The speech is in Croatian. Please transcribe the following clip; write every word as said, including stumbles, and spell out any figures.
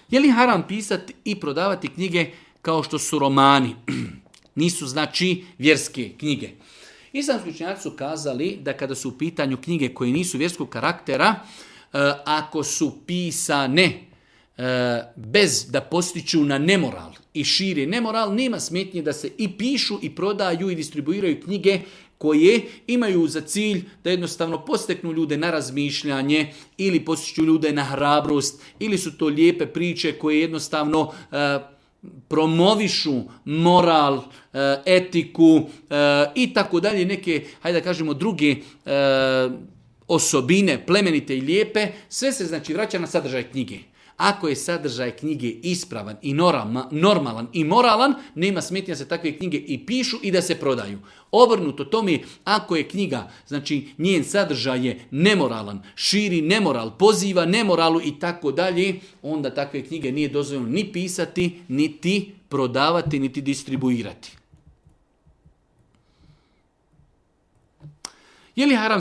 Je li haram pisati i prodavati knjige kao što su romani? Nisu znači vjerske knjige. Islamski učenjaci su kazali da kada su u pitanju knjige koje nisu vjerskog karaktera, ako su pisane bez da postiču na nemoral i šire nemoral, nema smetnje da se i pišu i prodaju i distribuiraju knjige koje imaju za cilj da jednostavno posteknu ljude na razmišljanje ili postiču ljude na hrabrost ili su to lijepe priče koje jednostavno e, promovišu moral, e, etiku e, i tako dalje, neke, hajde da kažemo, druge e, osobine plemenite i lijepe. Sve se znači vraća na sadržaj knjige. Ako je sadržaj knjige ispravan i normalan i moralan, nema smetnja se takve knjige i pišu i da se prodaju. Obrnuto tome, ako je knjiga, znači njen sadržaj je nemoralan, širi nemoral, poziva nemoralu i tako dalje, onda takve knjige nije dozvoljeno ni pisati, niti prodavati, niti distribuirati. Je li haram